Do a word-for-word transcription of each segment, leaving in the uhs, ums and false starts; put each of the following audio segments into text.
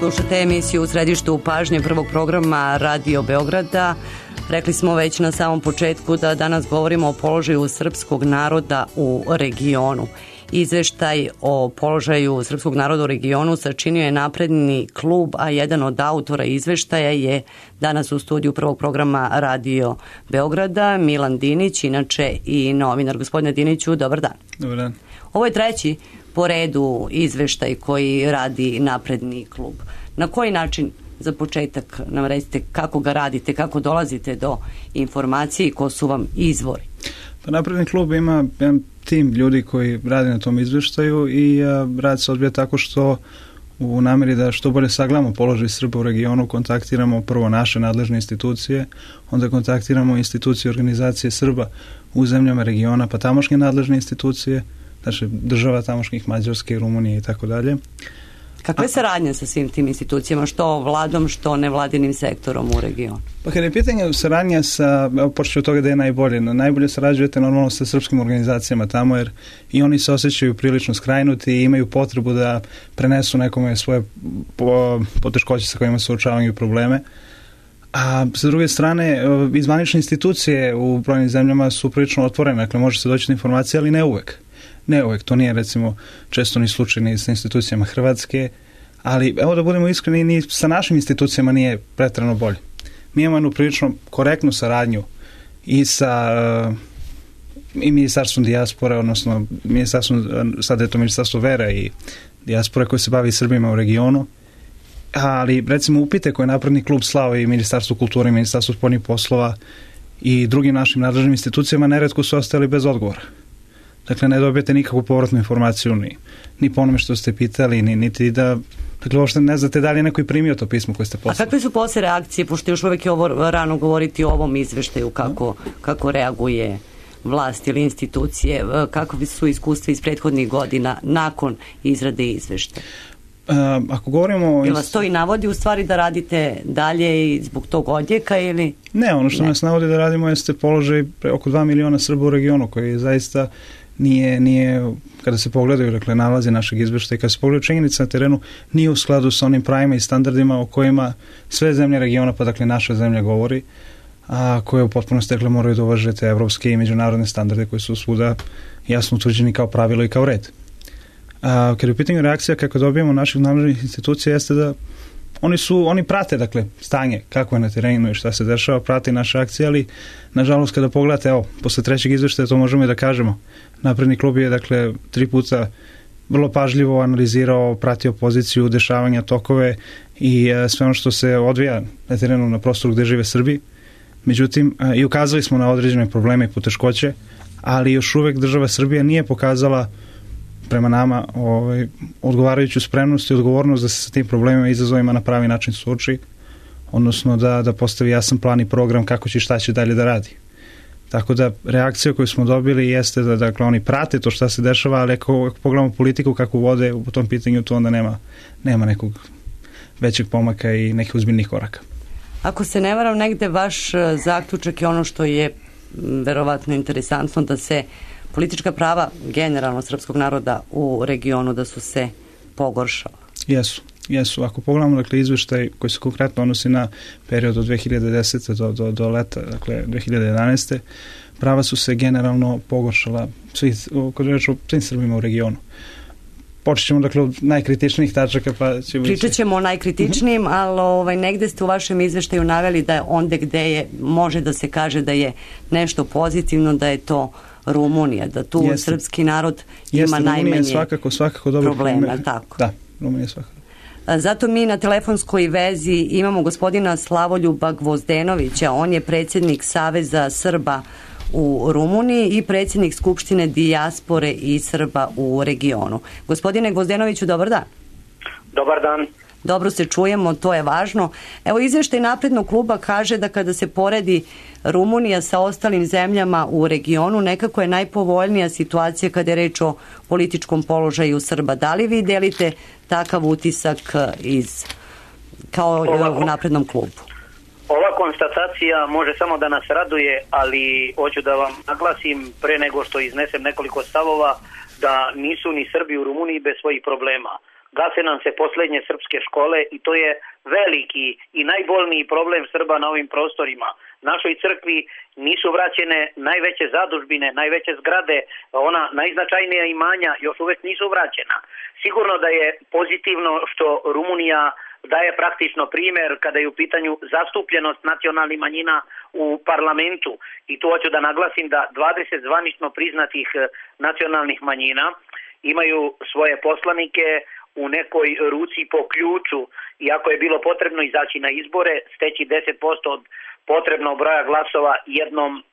Slušate emisiju U središtu pažnje prvog programa Radio Beograda. Rekli smo već na samom početku da danas govorimo o položaju srpskog naroda u regionu. Izveštaj o položaju srpskog naroda u regionu sačinio je Napredni klub, a jedan od autora izveštaja je danas u studiju prvog programa Radio Beograda, Milan Dinić, inače i novinar. Gospodine Diniću, dobar dan. Dobar dan. Ovo je treći po redu izveštaj koji radi Napredni klub. Na koji način, za početak, nam recite kako ga radite, kako dolazite do informacije i ko su vam izvori? Pa Napredni klub ima jedan tim ljudi koji radi na tom izveštaju i a, rad se odvija tako što u nameri da što bolje sagledamo položaj Srba u regionu kontaktiramo prvo naše nadležne institucije, onda kontaktiramo institucije organizacije Srba u zemljama regiona, pa tamošnje nadležne institucije, znači država tamošnjih, Mađarske, Rumunije i tako dalje. Kakve saradnje sa svim tim institucijama, što vladom, što nevladinim sektorom u regionu? Pa kada je pitanje saradnja sa, evo početi od toga da je najbolje, najbolje sarađujete normalno sa srpskim organizacijama tamo, jer i oni se osjećaju prilično skrajnuti i imaju potrebu da prenesu nekome svoje poteškoće sa kojima se suočavaju probleme. A sa druge strane, izvanične institucije u brojnim zemljama su prilično otvorene, dakle može se doći do informacije, ali ne uvek. Ne uvek, to nije recimo često ni slučaj ni sa institucijama Hrvatske, ali evo da budemo iskreni, ni sa našim institucijama nije preterano bolje. Mi imamo jednu prilično korektnu saradnju i sa i ministarstvom dijaspore, odnosno ministarstvom, sada je to ministarstvo vera i dijaspore koje se bavi Srbima u regionu, ali recimo upite koje je Napredni klub slao i ministarstvo kulture i ministarstvo spoljnih poslova i drugim našim nadležnim institucijama neretko su ostali bez odgovora. Dakle, ne dobijete nikakvu povratnu informaciju ni, ni po onome što ste pitali, ni, niti da, dakle, uopšte ne znate da li je neko i primio to pismo koje ste poslali. A kakve su posle reakcije, pošto još uvek je ovo rano govoriti o ovom izveštaju, kako, kako reaguje vlast ili institucije, kakve su iskustva iz prethodnih godina nakon izrade izveštaja? Uh, ako govorimo... Jel vas to i navodi u stvari da radite dalje i zbog tog odjeka ili... Ne, ono što ne. nas navodi da radimo jeste položaj oko dva miliona Srba u regionu koji zaista nije, nije kada se pogledaju, dakle, nalazi našeg izveštaja, kada se pogledaju činjenice na terenu, nije u skladu sa onim pravima i standardima o kojima sve zemlje regiona, pa dakle naša zemlja govori, a koje u potpunosti, dakle, moraju da uvaže te evropske i međunarodne standarde koji su svuda jasno utvrđeni kao pravilo i kao red. A, kada je u pitanju reakcija kako dobijemo naših nadležnih institucija jeste da oni su, oni prate, dakle, stanje kako je na terenu i šta se dešava, prate naše akcije, ali nažalost kada pogledate, evo, posle trećeg izveštaja to možemo i da kažemo. Napredni klub je, dakle, tri puta vrlo pažljivo analizirao, pratio poziciju, dešavanja, tokove i e, sve ono što se odvija na terenu na prostoru gde žive Srbi. Međutim, e, i ukazali smo na određene probleme i poteškoće, ali još uvek država Srbija nije pokazala prema nama ovaj, odgovarajuću spremnost i odgovornost da se sa tim problemima i izazovima na pravi način suoči, odnosno da, da postavi jasan plan i program kako će i šta će dalje da radi. Tako da reakcija koju smo dobili jeste da, dakle, oni prate to šta se dešava, ali ako, ako pogledamo politiku kako vode u tom pitanju, to onda nema, nema nekog većeg pomaka i nekih uzbiljnih koraka. Ako se ne varam, negde vaš zaključak je ono što je verovatno interesantno, da se politička prava generalno srpskog naroda u regionu da su se pogoršala. Jesu, jesu. Ako pogledamo, dakle, izveštaj koji se konkretno odnosi na period od dve hiljade desete do, do, do leta, dakle dve hiljade jedanaeste. prava su se generalno pogoršala svi, kod reč o svim Srbima u regionu. Počet ćemo, dakle, od najkritičnijih tačaka, pa ćemo... Pričat ćemo o najkritičnijim, ali ovaj, negde ste u vašem izveštaju naveli da je onde gde je, može da se kaže da je nešto pozitivno, da je to Rumunija, da tu jeste, srpski narod ima jeste, najmanje svakako, svakako dobro problema, tako? Da, Rumunija svakako. Zato mi na telefonskoj vezi imamo gospodina Slavoljuba Gvozdenovića, on je predsjednik Saveza Srba u Rumuniji i predsjednik Skupštine dijaspore i Srba u regionu. Gospodine Gvozdenoviću, dobar dan. Dobar dan. Dobro se čujemo, to je važno. Evo, izveštaj Naprednog kluba kaže da kada se poredi Rumunija sa ostalim zemljama u regionu, nekako je najpovoljnija situacija kada je reč o političkom položaju Srba. Da li vi delite takav utisak iz, kao ova, u Naprednom klubu? Ova konstatacija može samo da nas raduje, ali hoću da vam naglasim pre nego što iznesem nekoliko stavova da nisu ni Srbi u Rumuniji bez svojih problema. gase nam se posljednje srpske škole i to je veliki i najbolniji problem Srba na ovim prostorima. Našoj crkvi nisu vraćene najveće zadužbine, najveće zgrade, ona najznačajnija imanja još uvijek nisu vraćena. Sigurno da je pozitivno što Rumunija daje praktično primjer kada je u pitanju zastupljenost nacionalnih manjina u parlamentu. I tu hoću da naglasim da dvadeset zvanično priznatih nacionalnih manjina imaju svoje poslanike u nekoj ruci po ključu, iako je bilo potrebno izaći na izbore, steći deset posto od potrebnog broja glasova jednom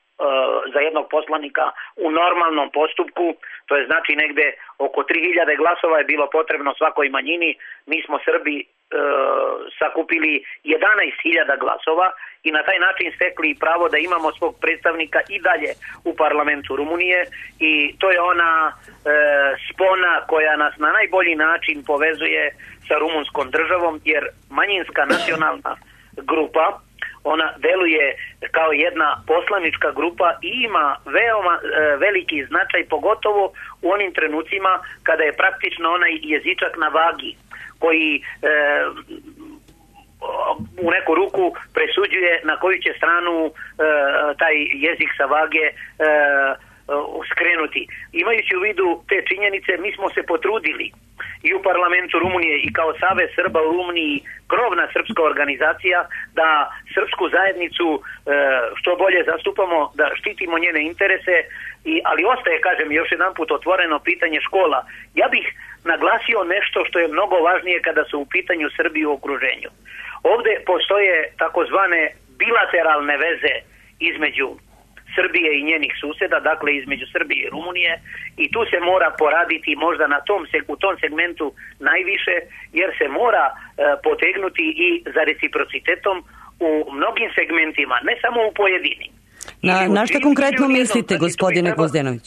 za jednog poslanika u normalnom postupku, to je znači negde oko tri hiljade glasova je bilo potrebno svakoj manjini. Mi smo Srbi e, sakupili jedanaest hiljada glasova i na taj način stekli pravo da imamo svog predstavnika i dalje u parlamentu Rumunije i to je ona e, spona koja nas na najbolji način povezuje sa rumunskom državom, jer manjinska nacionalna grupa ona deluje kao jedna poslanička grupa i ima veoma e, veliki značaj, pogotovo u onim trenucima kada je praktično onaj jezičak na vagi koji e, u neku ruku presuđuje na koju će stranu e, taj jezik sa vage e, skrenuti. Imajući u vidu te činjenice, mi smo se potrudili i u parlamentu Rumunije i kao Savez Srba u Rumuniji, krovna srpska organizacija, da srpsku zajednicu e, što bolje zastupamo, da štitimo njene interese, i, ali ostaje, kažem, još jedan put otvoreno pitanje škola. Ja bih naglasio nešto što je mnogo važnije kada su u pitanju Srbi u okruženju. Ovdje postoje takozvane bilateralne veze između Srbije i njenih susjeda, dakle između Srbije i Rumunije, i tu se mora poraditi možda na tom, u tom segmentu najviše, jer se mora e, potegnuti i za reciprocitetom u mnogim segmentima, ne samo u pojedinim. Na, na što konkretno mislite, gospodine Gvozdenović?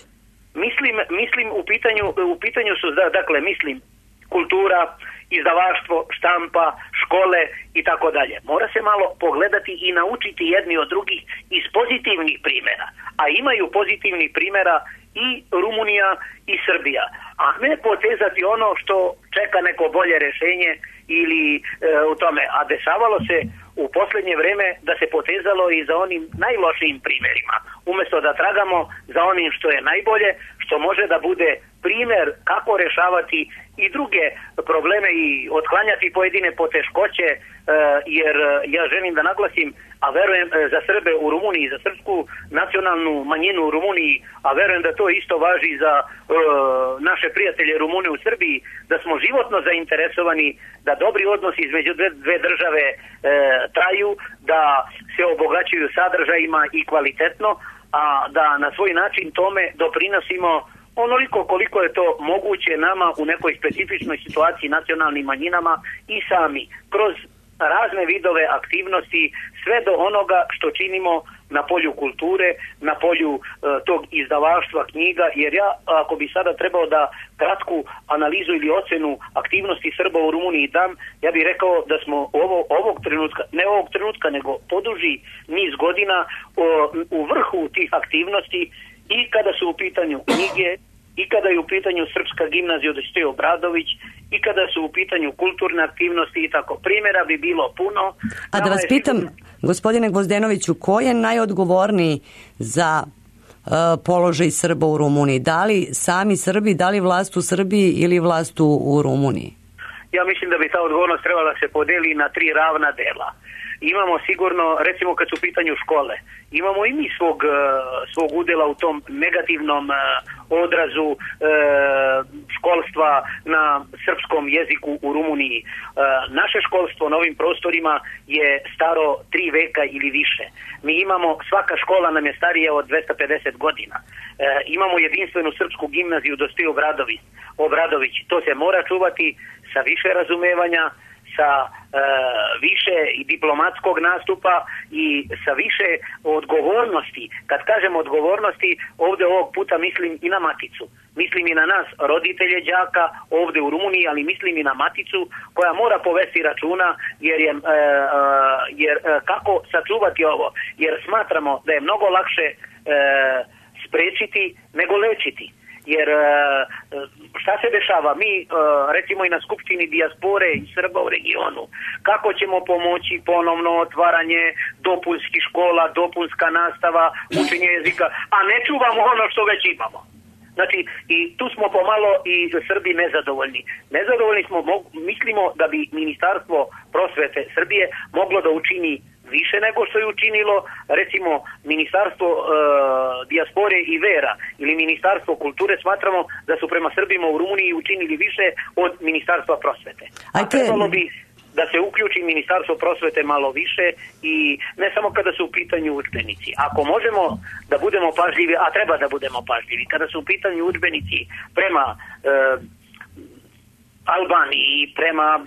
Mislim, mislim u pitanju, u pitanju su, dakle, mislim, kultura, izdavaštvo, štampa, škole i tako dalje. Mora se malo pogledati i naučiti jedni od drugih iz pozitivnih primjera. A imaju pozitivnih primjera i Rumunija i Srbija. A ne potezati ono što čeka neko bolje rješenje ili e, u tome. A dešavalo se u posljednje vrijeme da se potezalo i za onim najlošijim primjerima. Umjesto da tragamo za onim što je najbolje, što može da bude primjer kako rješavati i druge probleme i otklanjati pojedine poteškoće, e, jer ja želim da naglasim, a verujem za Srbe u Rumuniji, za srpsku nacionalnu manjinu u Rumuniji, a verujem da to isto važi za e, naše prijatelje Rumune u Srbiji, da smo životno zainteresovani da dobri odnosi između dve, dve države e, traju, da se obogaćuju sadržajima i kvalitetno, a da na svoj način tome doprinosimo onoliko koliko je to moguće nama u nekoj specifičnoj situaciji nacionalnim manjinama i sami, kroz razne vidove aktivnosti, sve do onoga što činimo na polju kulture, na polju e, tog izdavaštva knjiga, jer ja, ako bi sada trebao da kratku analizu ili ocenu aktivnosti Srba u Rumuniji dam, ja bih rekao da smo ovo, ovog trenutka, ne ovog trenutka, nego poduži niz godina o, u vrhu tih aktivnosti, i kada su u pitanju knjige, i kada je u pitanju Srpska gimnazija Dositej Obradović, i kada su u pitanju kulturne aktivnosti i tako. Primjera bi bilo puno. A da vas pitam, gospodine Gvozdenoviću, ko je najodgovorniji za uh, položaj Srba u Rumuniji? Da li sami Srbi, da li vlast u Srbiji ili vlast u, u Rumuniji? Ja mislim da bi ta odgovornost trebala se podeli na tri ravna dela. Imamo sigurno, recimo kad su u pitanju škole, imamo i mi svog, svog udjela u tom negativnom odrazu e, školstva na srpskom jeziku u Rumuniji. E, naše školstvo na ovim prostorima je staro tri veka ili više. Mi imamo, svaka škola nam je starija od dvesta pedeset godina. E, imamo jedinstvenu srpsku gimnaziju Dositej Obradović. Obradović. To se mora čuvati sa više razumevanja, sa e, više i diplomatskog nastupa i sa više odgovornosti. Kad kažem odgovornosti, ovdje ovog puta mislim i na maticu. Mislim i na nas, roditelje đaka ovdje u Rumuniji, ali mislim i na maticu koja mora povesti računa, jer je e, e, jer, e, kako sačuvati ovo. Jer smatramo da je mnogo lakše e, sprečiti nego lečiti. jer šta se dešava? Mi recimo i na skupštini dijaspore i Srba u regionu, kako ćemo pomoći ponovno otvaranje dopunskih škola, dopunska nastava, učenje jezika, a ne čuvamo ono što već imamo. Znači, i tu smo pomalo i Srbi nezadovoljni. Nezadovoljni smo, mislimo da bi Ministarstvo prosvete Srbije moglo da učini više nego što je učinilo, recimo Ministarstvo e, dijaspore i vera ili Ministarstvo kulture, smatramo da su prema Srbima u Rumuniji učinili više od Ministarstva prosvete. A trebalo bi da se uključi Ministarstvo prosvete malo više i ne samo kada su u pitanju udžbenici. Ako možemo da budemo pažljivi, a treba da budemo pažljivi, kada su u pitanju udžbenici prema e, Albaniji, prema e,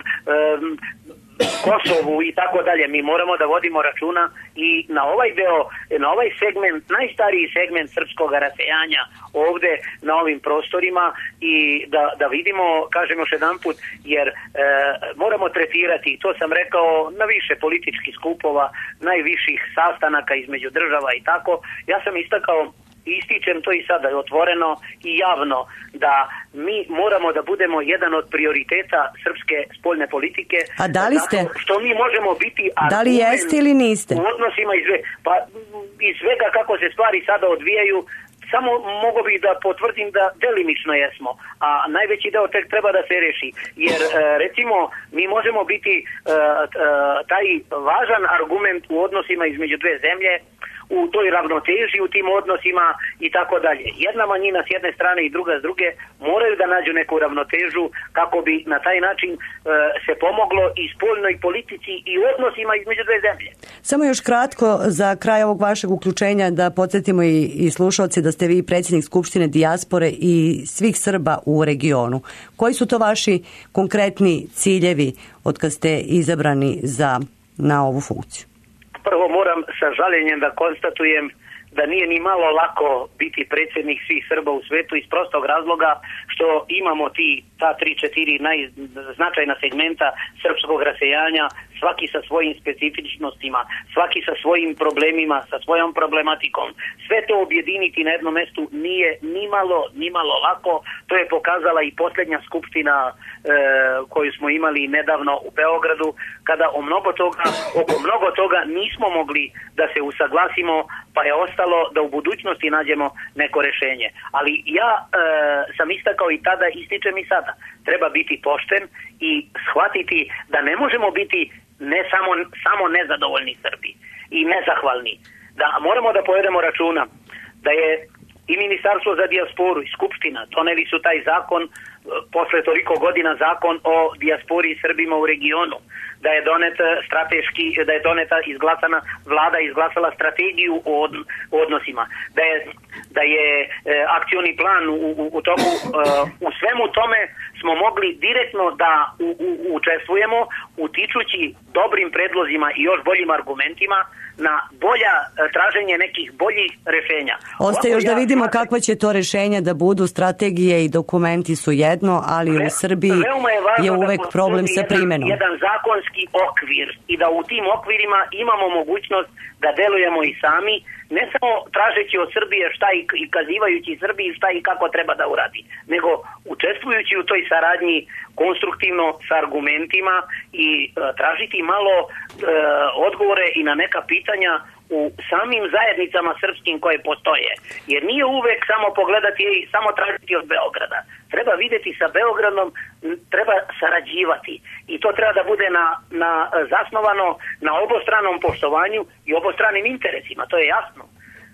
Kosovu i tako dalje, mi moramo da vodimo računa i na ovaj deo, na ovaj segment, najstariji segment srpskog rasejanja ovde na ovim prostorima i da, da vidimo, kažem još jedan put, jer e, moramo tretirati, to sam rekao, na više političkih skupova, najviših sastanaka između država i tako. Ja sam istakao, ističem to i sada otvoreno i javno, da mi moramo da budemo jedan od prioriteta srpske spoljne politike. A da li ste? Što mi možemo biti da li jeste ili niste? U odnosima iz, pa, iz svega kako se stvari sada odvijaju, samo mogu bi da potvrdim da delimično jesmo, a najveći deo tek treba da se reši. Jer recimo mi možemo biti taj važan argument u odnosima između dve zemlje, u toj ravnoteži, u tim odnosima i tako dalje. Jedna manjina s jedne strane i druga s druge moraju da nađu neku ravnotežu kako bi na taj način e, se pomoglo i spoljnoj politici i odnosima između dve zemlje. Samo još kratko za kraj ovog vašeg uključenja da podsjetimo i, i slušalci da ste vi predsjednik Skupštine dijaspore i svih Srba u regionu. Koji su to vaši konkretni ciljevi od kad ste izabrani za, na ovu funkciju? Prvo moram sa žaljenjem da konstatujem da nije ni malo lako biti predsjednik svih Srba u svetu iz prostog razloga što imamo ti, ta tri, četiri najznačajna segmenta srpskog rasejanja, svaki sa svojim specifičnostima, svaki sa svojim problemima, sa svojom problematikom. Sve to objediniti na jednom mestu nije ni malo, ni malo lako. To je pokazala i posljednja skupština e, koju smo imali nedavno u Beogradu, kada o mnogo toga, oko mnogo toga nismo mogli da se usaglasimo, pa je ostalo da u budućnosti nađemo neko rešenje. Ali ja e, sam istakao i tada, ističem i sada. Treba biti pošten i shvatiti da ne možemo biti ne samo, samo nezadovoljni Srbi i nezahvalni. Da moramo da povedemo računa da je i Ministarstvo za dijasporu i Skupština doneli su taj zakon, posle toliko godina zakon o dijaspori i Srbima u regionu, da je donet strateški, da je doneta izglasana, vlada izglasala strategiju o odnosima, da je, da je e, akcioni plan u, u, u toku, e, u svemu tome smo mogli direktno da u, u, učestvujemo, utičući dobrim predlozima i još boljim argumentima na bolja traženje nekih boljih rešenja. Ostaje još da vidimo kakva će to rešenja da budu, strategije i dokumenti su jedno, ali u Srbiji je, je uvek problem sa primenom. Jedan zakonski okvir i da u tim okvirima imamo mogućnost da delujemo i sami, ne samo tražeći od Srbije šta i, i kazivajući Srbiji šta i kako treba da uradi, nego učestvujući u toj saradnji konstruktivno sa argumentima i e, tražiti malo e, odgovore i na neka pitanja u samim zajednicama srpskim koje postoje. Jer nije uvek samo pogledati i samo tražiti od Beograda. Treba videti sa Beogradom, treba sarađivati. I to treba da bude na, na, zasnovano na obostranom poštovanju i obostranim interesima. To je jasno.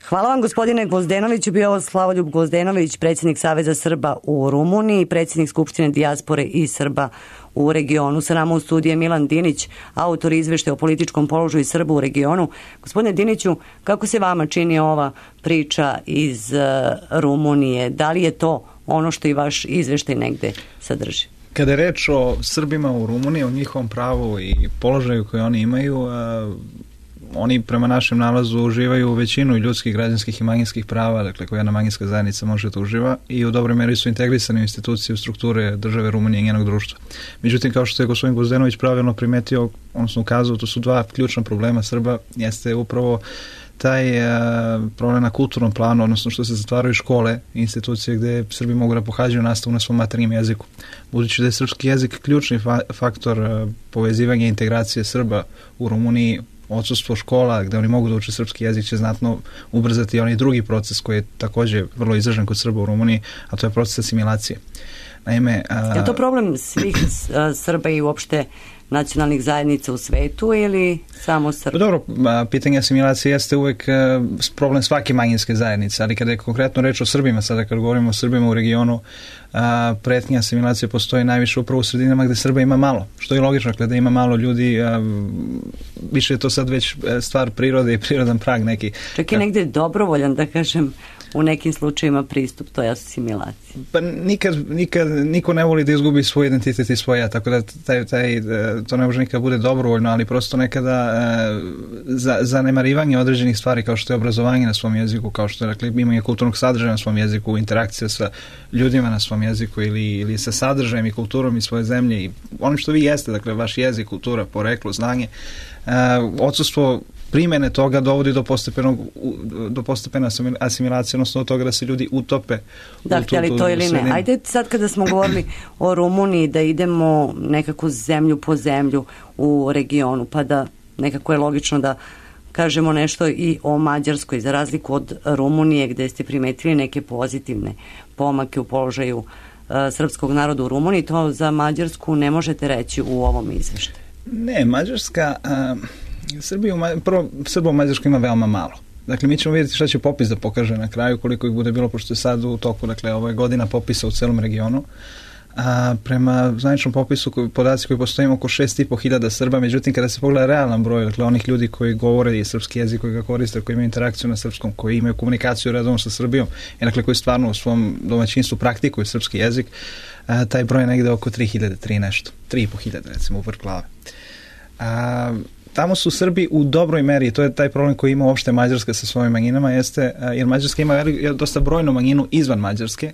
Hvala vam gospodine Gvozdenoviću, bio ovo Slavoljub Gvozdenović, predsjednik Saveza Srba u Rumuniji, predsjednik Skupštine dijaspore i Srba u regionu. Sa nama u studiju je Milan Dinić, autor izveštaja o političkom položaju Srba u regionu. Gospodine Diniću, kako se vama čini ova priča iz uh, Rumunije? Da li je to ono što i vaš izveštaj negde sadrži? Kada je reč o Srbima u Rumuniji, o njihovom pravu i položaju koje oni imaju, uh, oni prema našem nalazu uživaju većinu ljudskih, građanskih i manjinskih prava, dakle koja jedna manjinska zajednica može da uživa i u dobroj meri su integrisane u institucije, u strukture države Rumunije i njenog društva. Međutim, kao što je gospodin Gvozdenović pravilno primetio, odnosno ukazao, to su dva ključna problema Srba, jeste upravo taj uh, problem na kulturnom planu, odnosno što se zatvaraju škole i institucije gde Srbi mogu da pohađaju nastavu na svom maternjem jeziku. Budući da je srpski jezik ključni fa faktor uh, povezivanja i integracije Srba u Rumuniji, odsustvo škola gde oni mogu da uče srpski jezik će znatno ubrzati onaj drugi proces koji je takođe vrlo izražen kod Srba u Rumuniji, a to je proces asimilacije. Naime, uh, je to problem svih uh, Srba i uopšte nacionalnih zajednica u svetu ili samo Srba? Dobro, pitanje asimilacije jeste uvek problem svake manjinske zajednice, ali kada je konkretno reč o Srbima, sada kad govorimo o Srbima u regionu, pretnja asimilacije postoji najviše upravo u sredinama gde Srba ima malo, što je logično, kada ima malo ljudi, više je to sad već stvar prirode i prirodan prag neki. Čak je negde dobrovoljan, da kažem, u nekim slučajima pristup toj asimilaciji. Pa nikad, nikad, niko ne voli da izgubi svoj identitet i svoj ja, tako da taj, taj, to ne može nikad bude dobrovoljno, ali prosto nekada e, za, zanemarivanje određenih stvari kao što je obrazovanje na svom jeziku, kao što je, dakle, imanje kulturnog sadržaja na svom jeziku, interakcija sa ljudima na svom jeziku ili, ili sa sadržajem i kulturom iz svoje zemlje i onim što vi jeste, dakle, vaš jezik, kultura, poreklo, znanje, e, odsustvo primjene toga dovodi do postepenog do postepene asimilacije, odnosno do toga da se ljudi utope. Da, htjeli to ili ne. Ajde sad kada smo govorili o Rumuniji da idemo nekako zemlju po zemlju u regionu, pa da nekako je logično da kažemo nešto i o Mađarskoj, za razliku od Rumunije gde ste primetili neke pozitivne pomake u položaju uh, srpskog naroda u Rumuniji, to za Mađarsku ne možete reći u ovom izveštaju. Ne, Mađarska... Uh... Srbiju, prvo, Srba u Mađarskoj ima veoma malo. Dakle, mi ćemo vidjeti šta će popis da pokaže na kraju, koliko ih bude bilo, pošto je sad u toku, dakle, ovo je godina popisa u celom regionu. A prema zvaničnom popisu, podaci koji postoje oko šest i po hiljada Srba, međutim, kada se pogleda realan broj, dakle, onih ljudi koji govore i srpski jezik, koji ga koriste, koji imaju interakciju na srpskom, koji imaju komunikaciju redovno sa Srbijom, i dakle, koji stvarno u svom domaćinstvu praktikuju srpski jezik, a, taj broj je negde oko tri hiljade, tri nešto, tri i po hiljade, recimo, u vrh glave. A, tamo su Srbi u dobroj meri, to je taj problem koji ima uopšte Mađarska sa svojim manjinama, jeste, jer Mađarska ima dosta brojnu manjinu izvan Mađarske.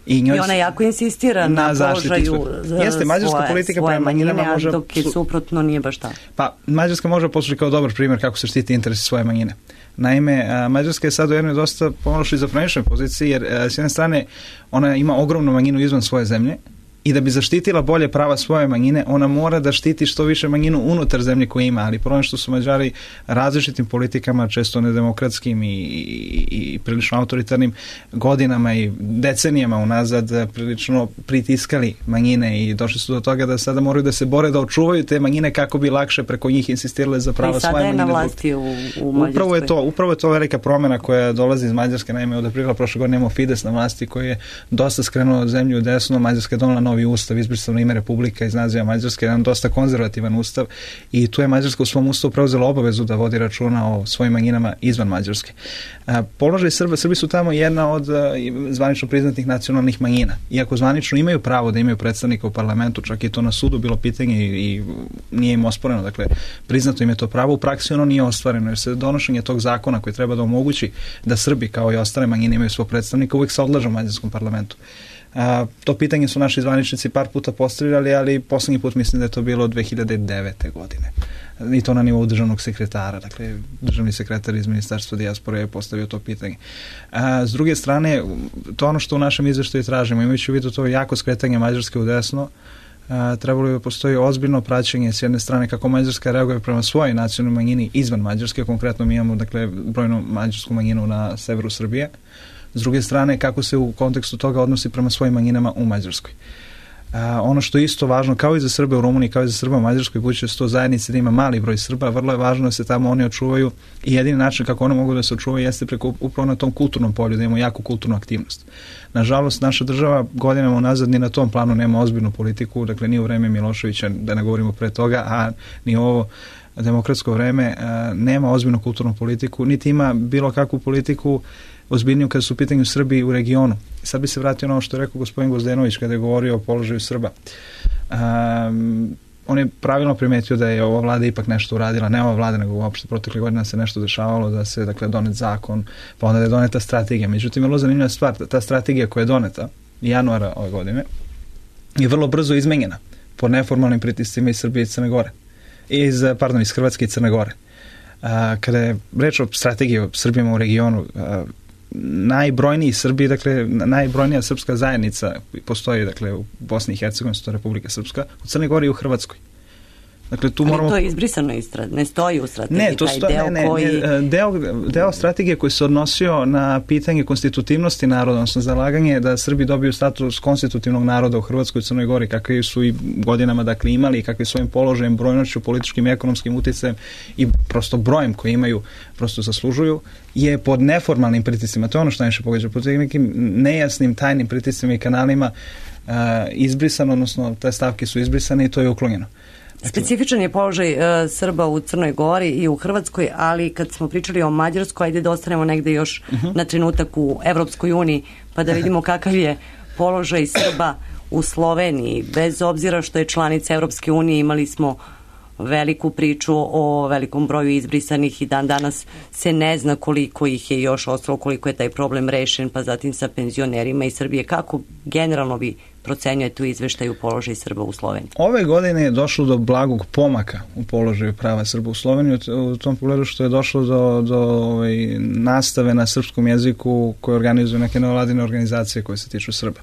I, njoj I ona jako insistira na, na položaju jeste, mađarska svoje, politika svoje manjine, može, dok je suprotno nije baš tako. Pa, Mađarska može poslužiti kao dobar primjer kako se štiti interesi svoje manjine. Naime, Mađarska je sad u jednoj dosta pomalo šizofreničnoj poziciji, jer s jedne strane ona ima ogromnu manjinu izvan svoje zemlje, i da bi zaštitila bolje prava svoje manjine, ona mora da štiti što više manjinu unutar zemlje koje ima, ali problem što su Mađari različitim politikama, često nedemokratskim i, i, i prilično autoritarnim godinama i decenijama unazad prilično pritiskali manjine i došli su do toga da sada moraju da se bore da očuvaju te manjine kako bi lakše preko njih insistirale za prava svoje manjine. I sada je na vlasti u, u Mađarskoj. Upravo je to, upravo je to velika promjena koja dolazi iz Mađarske. Naime, od aprila prošle godine imamo Fides na vlasti koji je dosta skrenuo zemlju u desno. Mađarska je donela novi ustav, izbrisano ime Republika iz naziva Mađarske, jedan dosta konzervativan ustav i tu je Mađarska u svom ustavu preuzela obavezu da vodi računa o svojim manjinama izvan Mađarske. A, položaj Srba, Srbi su tamo jedna od a, zvanično priznatih nacionalnih manjina. Iako zvanično imaju pravo da imaju predstavnika u parlamentu, čak i to na sudu bilo pitanje i, i nije im osporeno, dakle priznato im je to pravo, u praksi ono nije ostvareno, jer se donošenje tog zakona koji treba da omogući da Srbi kao i ostale manjine imaju svog predstavnika uvijek se odlaže u mađarskom parlamentu. A, to pitanje su naši zvaničnici par puta postavljali, ali poslednji put mislim da je to bilo dve hiljade devete godine. I to na nivou državnog sekretara. Dakle, državni sekretar iz Ministarstva dijaspore je postavio to pitanje. A, s druge strane, to ono što u našem izveštaju tražimo, imajući u vidu to jako skretanje Mađarske u desno, a, trebalo bi postoji ozbiljno praćenje s jedne strane kako Mađarska reaguje prema svojoj nacionalnoj manjini izvan Mađarske, konkretno mi imamo, dakle, brojnu mađarsku manjinu na severu Srbije. S druge strane, kako se u kontekstu toga odnosi prema svojim manjinama u Mađarskoj. A, ono što je isto važno, kao i za Srbe u Rumuniji, kao i za Srba u Mađarskoj, budući da su to zajednice da ima mali broj Srba, vrlo je važno da se tamo oni očuvaju i jedini način kako one mogu da se očuvaju jeste preko upravo na tom kulturnom polju, da imamo jaku kulturnu aktivnost. Nažalost, naša država godinama unazad ni na tom planu nema ozbiljnu politiku, dakle ni u vreme Miloševića, da ne govorimo pre toga, a ni ovo demokratsko vreme, a, nema ozbiljnu kulturnu politiku, niti ima bilo kakvu politiku ozbiljniju kada su u pitanju Srbi u regionu. Sad bi se vratio na ono što je rekao gospodin Gvozdenović kada je govorio o položaju Srba. Um, on je pravilno primetio da je ova vlada ipak nešto uradila, ne ova vlada, nego uopšte protekle godina se nešto dešavalo, da se, dakle, donet zakon, pa onda da je doneta strategija. Međutim, vrlo zanimljiva stvar, ta strategija koja je doneta januara ove godine je vrlo brzo izmenjena pod neformalnim pritiscima iz Srbije i Crne Gore. Iz, pardon, iz Hrvatske i Crne Gore. A, kada je reč o strategiji o Srbima u regionu, a, najbrojniji Srbi, dakle, najbrojnija srpska zajednica postoji, dakle, u Bosni i Hercegovini, to je Republika Srpska, u Crnoj Gori i u Hrvatskoj. Dakle, tu ali moramo... to je izbrisano iz strate, ne stoji u strategiji, ne, to taj sto... deo ne, ne, koji... Ne, deo, deo strategije koji se odnosio na pitanje konstitutivnosti naroda, odnosno zalaganje da Srbi dobiju status konstitutivnog naroda u Hrvatskoj i Crnoj Gori, kakvi su i godinama, dakle, imali, kakvi svojim položajem, brojnošću, političkim i ekonomskim uticajem i prosto brojem koji imaju, prosto zaslužuju, je pod neformalnim pritiscima. To je ono što najviše pogađa, pod nekim nejasnim, tajnim pritiscima i kanalima uh, izbrisano, odnosno te stavke su izbrisane i to je uklonjeno. Specifičan je položaj uh, Srba u Crnoj Gori i u Hrvatskoj, ali kad smo pričali o Mađarskoj, ajde da ostanemo negde još uh-huh. na trenutak u Evropskoj uniji, pa da vidimo kakav je položaj Srba u Sloveniji. Bez obzira što je članica Evropske unije, imali smo veliku priču o velikom broju izbrisanih i dan danas se ne zna koliko ih je još ostalo, koliko je taj problem rešen, pa zatim sa penzionerima iz Srbije. Kako generalno vi procenjujete u izveštaju položaj Srba u Sloveniji? Ove godine je došlo do blagog pomaka u položaju prava Srba u Sloveniji, u tom pogledu što je došlo do, do ovaj, nastave na srpskom jeziku koje organizuju neke nevladine organizacije koje se tiču Srba.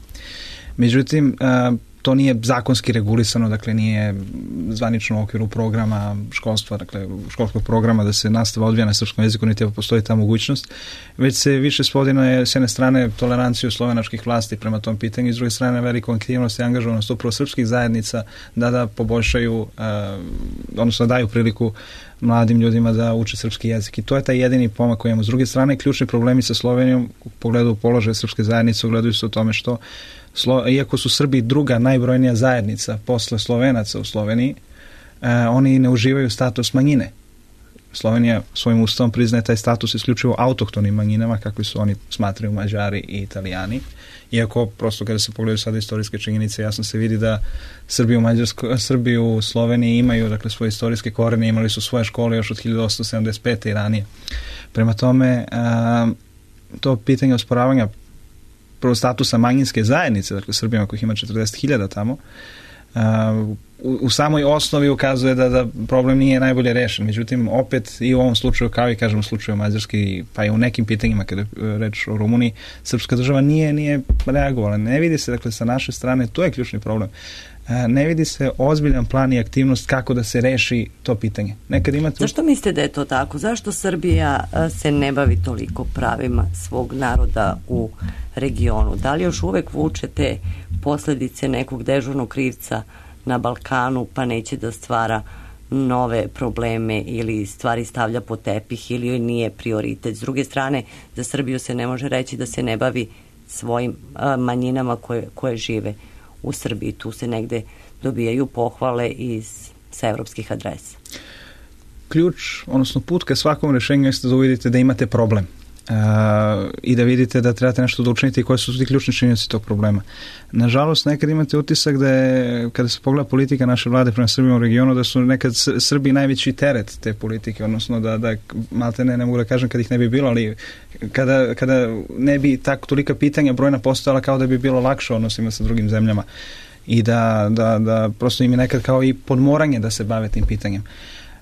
Međutim, to nije zakonski regulisano, dakle nije zvanično u okviru programa školstva, dakle školskog programa da se nastava odvija na srpskom jeziku, niti postoji ta mogućnost, već se više svodi na s jedne strane toleranciju slovenačkih vlasti prema tom pitanju i s druge strane veliku aktivnost i angažovanost upravo srpskih zajednica da da poboljšaju, uh, odnosno daju priliku mladim ljudima da uče srpski jezik. I to je taj jedini pomak koji imamo. S druge strane, ključni problemi sa Slovenijom u pogledu položaja srpske zajednice ogledaju se u tome što Slo, iako su Srbi druga najbrojnija zajednica posle Slovenaca u Sloveniji, eh, oni ne uživaju status manjine. Slovenija svojim ustavom priznaje taj status isključivo autohtonim manjinama, kakvi su oni smatraju Mađari i Italijani. Iako, prosto kada se pogledaju sada istorijske činjenice, jasno se vidi da Srbi u, Mađarsko, Srbi u Sloveniji imaju, dakle, svoje istorijske korene, imali su svoje škole još od hiljadu osamsto sedamdeset pete i ranije. Prema tome, eh, to pitanje osporavanja prvo statusa manjinske zajednice, dakle Srbima kojih ima četrdeset hiljada tamo, uh, u, u samoj osnovi ukazuje da, da problem nije najbolje rešen. Međutim, opet i u ovom slučaju, kao i kažem u slučaju Mađarske, pa i u nekim pitanjima kada je reč o Rumuniji, srpska država nije, nije reagovala. Ne vidi se, dakle, sa naše strane, to je ključni problem. Ne vidi se ozbiljan plan i aktivnost kako da se reši to pitanje. Nekad imate... Zašto mislite da je to tako? Zašto Srbija se ne bavi toliko pravima svog naroda u regionu? Da li još uvek vuče te posledice nekog dežurnog krivca na Balkanu, pa neće da stvara nove probleme ili stvari stavlja po tepih ili joj nije prioritet? S druge strane, za Srbiju se ne može reći da se ne bavi svojim a, manjinama koje, koje žive u Srbiji. Tu se negde dobijaju pohvale iz, sa evropskih adresa. Ključ, odnosno put ka svakom rešenju jeste da uvidite da imate problem uh, i da vidite da trebate nešto da učinite i koje su ti ključni činjenici tog problema. Nažalost, nekad imate utisak da je, kada se pogleda politika naše vlade prema Srbima u regionu, da su nekad Srbi najveći teret te politike, odnosno da, da malte ne, ne mogu da kažem kad ih ne bi bilo, ali kada, kada ne bi tako tolika pitanja brojna postojala, kao da bi bilo lakše odnosima sa drugim zemljama i da, da, da prosto im je nekad kao i podmoranje da se bave tim pitanjem.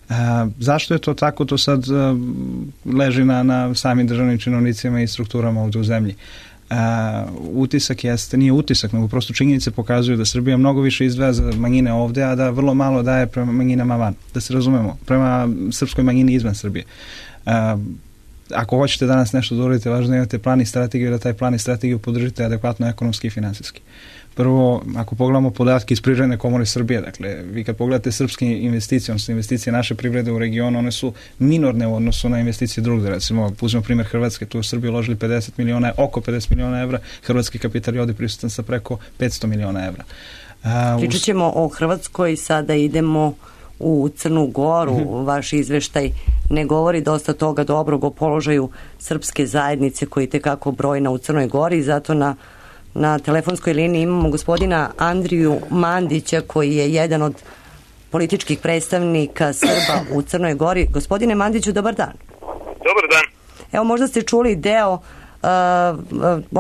A, zašto je to tako? To sad a, leži na, na samim državnim činovnicima i strukturama ovdje u zemlji. A, utisak jeste, nije utisak, nego prosto činjenice pokazuju da Srbija mnogo više izdvaja za manjine ovdje, a da vrlo malo daje prema manjinama van. Da se razumemo, prema srpskoj manjini izvan Srbije. A, ako hoćete danas nešto da uradite, važno da imate plan i strategiju, da taj plan i strategiju podržite adekvatno ekonomski i finansijski. Prvo, ako pogledamo podatke iz Privredne komore Srbije, dakle, vi kad pogledate srpske investicije, odnosno investicije naše privrede u regionu, one su minorne u odnosu na investicije drugde. Recimo, uzmemo primjer Hrvatske, tu u Srbiji uložili pedeset miliona, oko pedeset miliona evra, hrvatski kapital je ovdje prisutan sa preko petsto miliona evra. Pričat ćemo o Hrvatskoj, sada idemo u Crnu Goru. Mm-hmm. Vaš izveštaj ne govori dosta toga dobrog o položaju srpske zajednice koji tekako brojna u Crnoj Gori, zato na Na telefonskoj liniji imamo gospodina Andriju Mandića, koji je jedan od političkih predstavnika Srba u Crnoj Gori. Gospodine Mandiću, dobar dan. Dobar dan. Evo, možda ste čuli deo Uh,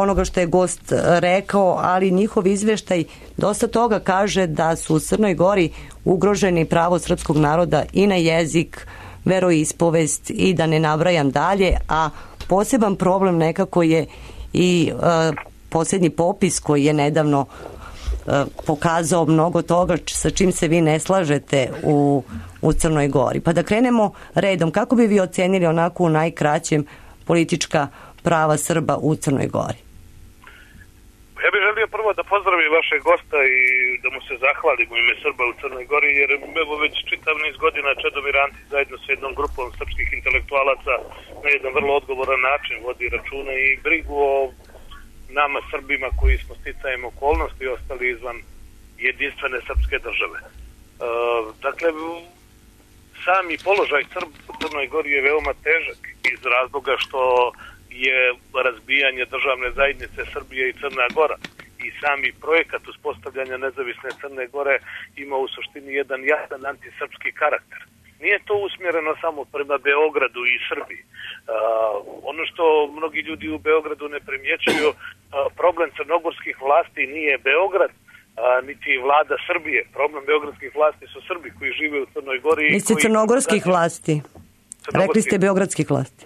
onoga što je gost rekao, ali njihov izveštaj dosta toga kaže da su u Crnoj Gori ugroženi pravo srpskog naroda i na jezik, veroispovest i da ne nabrajam dalje, a poseban problem nekako je i uh, posljednji popis koji je nedavno uh, pokazao mnogo toga sa čim se vi ne slažete u, u Crnoj Gori. Pa da krenemo redom, kako bi vi ocenili onako u najkraćem politička prava Srba u Crnoj Gori? Ja bih želio prvo da pozdravim vašeg gosta i da mu se zahvalim u ime Srba u Crnoj Gori, jer evo već čitav niz godina Čedomir Antić zajedno sa jednom grupom srpskih intelektualaca na jedan vrlo odgovoran način vodi računa i brigu o nama Srbima koji smo sticajem okolnosti ostali izvan jedinstvene srpske države. E, dakle, sami položaj Srba u Crnoj Gori je veoma težak iz razloga što je razbijanje državne zajednice Srbije i Crna Gora i sami projekat uspostavljanja nezavisne Crne Gore ima u suštini jedan jasan antisrpski karakter. Nije to usmjereno samo prema Beogradu i Srbiji. Uh, ono što mnogi ljudi u Beogradu ne primjećuju, uh, problem crnogorskih vlasti nije Beograd, uh, niti vlada Srbije. Problem beogradskih vlasti su Srbi koji žive u Crnoj Gori. Niste crnogorskih vlasti? Rekli ste beogradskih vlasti.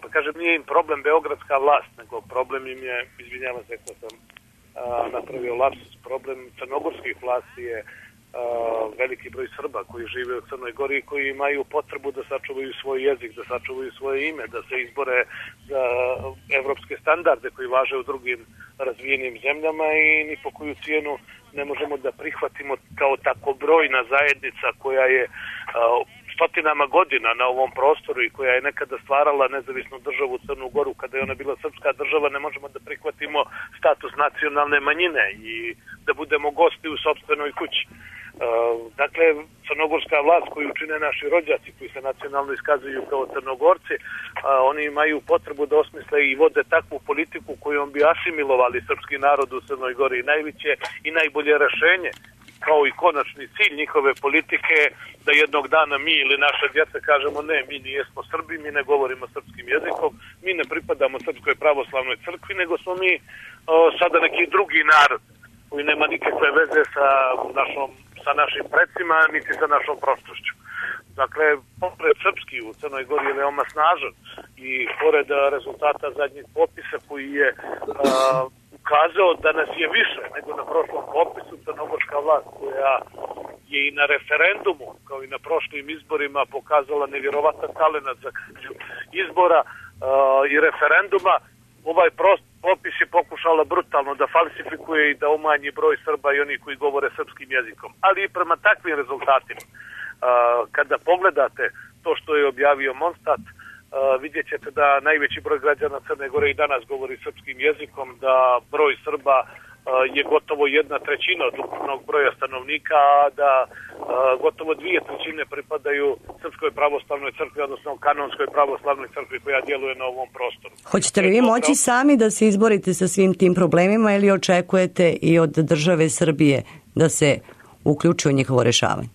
Pa kažem, nije im problem beogradska vlast, nego problem im je, izvinjavam se ako sam a, napravio lapsus, problem crnogorskih vlasti je a, veliki broj Srba koji žive u Crnoj Gori i koji imaju potrebu da sačuvaju svoj jezik, da sačuvaju svoje ime, da se izbore za evropske standarde koji važe u drugim razvijenim zemljama i ni po koju cijenu ne možemo da prihvatimo kao tako brojna zajednica koja je a, stotinama godina na ovom prostoru i koja je nekada stvarala nezavisnu državu Crnu Goru kada je ona bila srpska država, ne možemo da prihvatimo status nacionalne manjine i da budemo gosti u sopstvenoj kući. Dakle, crnogorska vlast koju čine naši rođaci koji se nacionalno iskazuju kao Crnogorci, oni imaju potrebu da osmisle i vode takvu politiku kojom bi asimilovali srpski narod u Crnoj Gori. Najveće i najbolje rešenje kao i konačni cilj njihove politike da jednog dana mi ili naše djeca kažemo ne, mi nijesmo Srbi, mi ne govorimo srpskim jezikom, mi ne pripadamo Srpskoj pravoslavnoj crkvi, nego smo mi o, sada neki drugi narod koji nema nikakve veze sa, našom, sa našim predsima, niti sa našom prošlošću. Dakle, pored srpski u Crnoj Gori je veoma snažan i pored rezultata zadnjeg popisa koji je a, ukazao da nas je više nego na prošlom popisu, crnogorska vlast koja je i na referendumu kao i na prošlim izborima pokazala nevjerovatan talenat za izbora uh, i referenduma, ovaj prost popis je pokušala brutalno da falsifikuje i da umanji broj Srba i onih koji govore srpskim jezikom. Ali i prema takvim rezultatima, uh, kada pogledate to što je objavio Monstat, Uh, vidjet ćete da najveći broj građana Crne Gore i danas govori srpskim jezikom, da broj Srba uh, je gotovo jedna trećina od ukupnog broja stanovnika, a da uh, gotovo dvije trećine pripadaju Srpskoj pravoslavnoj crkvi, odnosno kanonskoj pravoslavnoj crkvi koja djeluje na ovom prostoru. Hoćete li vi moći sami da se izborite sa svim tim problemima ili očekujete i od države Srbije da se uključi u njihovo rešavanje?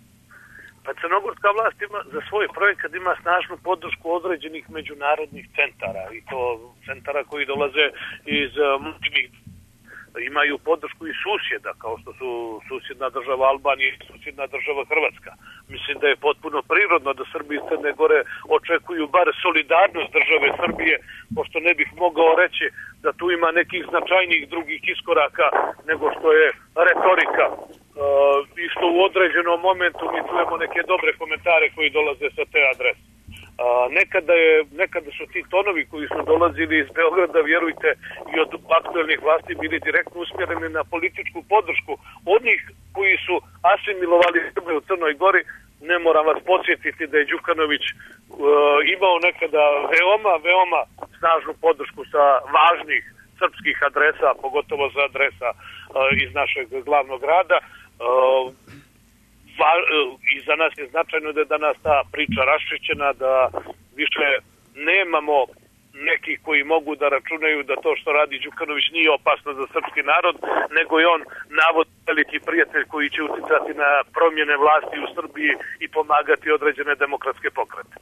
Pa crnogorska vlast ima, za svoj projekat ima snažnu podršku određenih međunarodnih centara i to centara koji dolaze iz moćnih, imaju podršku i susjeda kao što su susjedna država Albanija i susjedna država Hrvatska. Mislim da je potpuno prirodno da Srbi iz Crne Gore očekuju bar solidarnost države Srbije, pošto ne bih mogao reći da tu ima nekih značajnijih drugih iskoraka nego što je retorika. Uh, i što u određenom momentu mi čujemo neke dobre komentare koji dolaze sa te adrese. Uh, nekada, je, nekada su ti tonovi koji su dolazili iz Beograda, vjerujte, i od aktuelnih vlasti bili direktno usmjereni na političku podršku onih koji su asimilovali Srbe u Crnoj Gori. Ne moram vas podsjetiti da je Đukanović uh, imao nekada veoma, veoma snažnu podršku sa važnih srpskih adresa, pogotovo za adresa uh, iz našeg glavnog grada. Uh, va, uh, I za nas je značajno da je danas ta priča raščišćena, da više nemamo neki koji mogu da računaju da to što radi Đukanović nije opasno za srpski narod, nego je on navod veliki prijatelj koji će uticati na promjene vlasti u Srbiji i pomagati određene demokratske pokrete.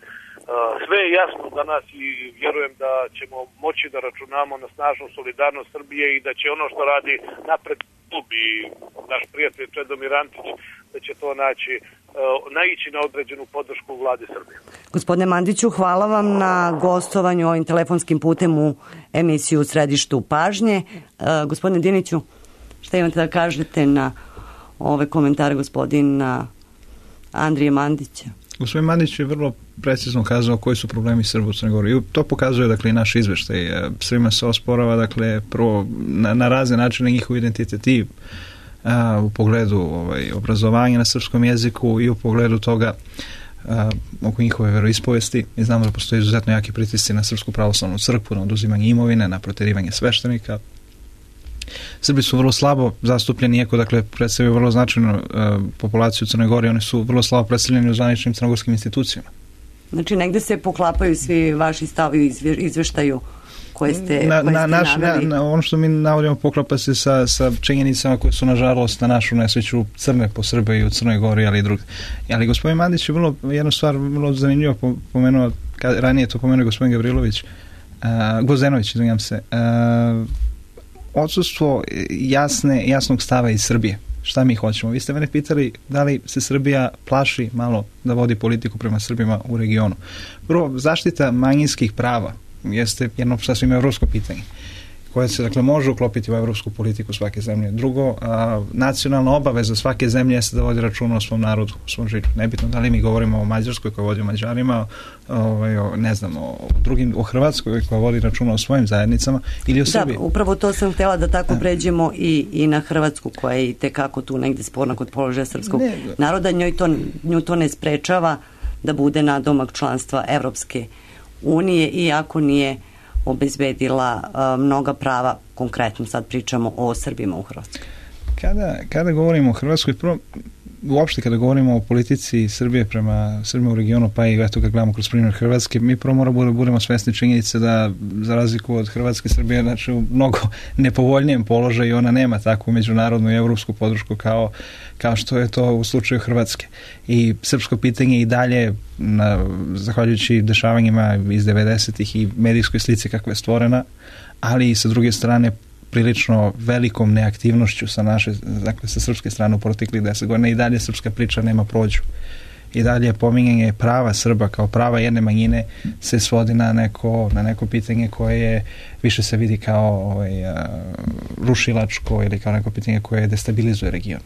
Sve je jasno danas i vjerujem da ćemo moći da računamo na snažnu solidarnost Srbije i da će ono što radi napred klub i naš prijatelj Čedomir Antić, da će to naći, naići na određenu podršku u vladi Srbije. Gospodine Mandiću, hvala vam na gostovanju ovim telefonskim putem u emisiju U središtu pažnje. Gospodine Diniću, šta imate da kažete na ove komentare gospodina Andrije Mandića? Gospodin Mandić je vrlo precizno kazao koji su problemi Srba u Crnoj Gori. I to pokazuje, dakle, i naš izveštaj. Svima se osporava, dakle, prvo na, na razne načine njihov identitet i a, u pogledu ovaj, obrazovanja na srpskom jeziku i u pogledu toga a, oko njihove veroispovesti. Mi znamo da postoje izuzetno jaki pritisci na Srpsku pravoslavnu crkvu, na oduzimanje imovine, na proterivanje sveštenika. Srbi su vrlo slabo zastupljeni, iako, dakle, predstavljaju vrlo značajnu uh, populaciju u Crnoj Gori, oni su vrlo slabo predstavljeni u zvaničnim crnogorskim institucijama. Znači, negde se poklapaju svi vaši stavi izve, izveštaju koje ste, na, koje na, ste naš, naveli? Na, na, ono što mi navodimo poklapa se sa, sa činjenicama koje su, nažalost, na našu nesreću crne po Srbiji i u Crnoj Gori, ali i drugi. Ali gospodin Mandić je vrlo, jednu stvar vrlo zanimljivo pomenuo, kad, ranije to pomenuo gospodin Gavrilović, uh, Gvozdenović, izvinjam se, uh, odsustvo jasne, jasnog stava iz Srbije. Šta mi hoćemo? Vi ste mene pitali da li se Srbija plaši malo da vodi politiku prema Srbima u regionu. Prvo, zaštita manjinskih prava jeste jedno sasvim evropsko pitanje koje se, dakle, može uklopiti u evropsku politiku svake zemlje. Drugo, a, nacionalna obaveza svake zemlje jeste da vodi računa o svom narodu, o svom žitu. Nebitno da li mi govorimo o Mađarskoj koja vodi o Mađarima, ovaj, o, ne znam, o drugim, o Hrvatskoj koja vodi računa o svojim zajednicama ili o Srbiji. Da, upravo to sam htjela da tako pređemo i, i na Hrvatsku koja je i tekako tu negde sporna kod položaja srpskog ne, naroda. Njoj to, nju to ne sprečava da bude nadomak članstva Evropske unije, iako nije obezbedila uh, mnoga prava, konkretno sad pričamo o Srbima u Hrvatskoj. Kada, kada govorimo o Hrvatskoj, prvo, uopšte kada govorimo o politici Srbije prema Srbima u regionu, pa i eto kad gledamo kroz primjer Hrvatske, mi prvo moramo da budemo svesni činjenice da za razliku od Hrvatske, Srbije znači u mnogo nepovoljnijem položaju i ona nema takvu međunarodnu i evropsku podršku kao, kao što je to u slučaju Hrvatske. I srpsko pitanje i dalje, na, zahvaljujući dešavanjima iz devedesetih i medijskoj slici kakva je stvorena, ali i sa druge strane prilično velikom neaktivnošću sa naše, dakle sa srpske strane u proteklih deset godina i dalje srpska priča nema prođu. I dalje pominjanje prava Srba kao prava jedne manjine se svodi na neko, na neko pitanje koje je, više se vidi kao ovaj, a, rušilačko ili kao neko pitanje koje destabilizuje region.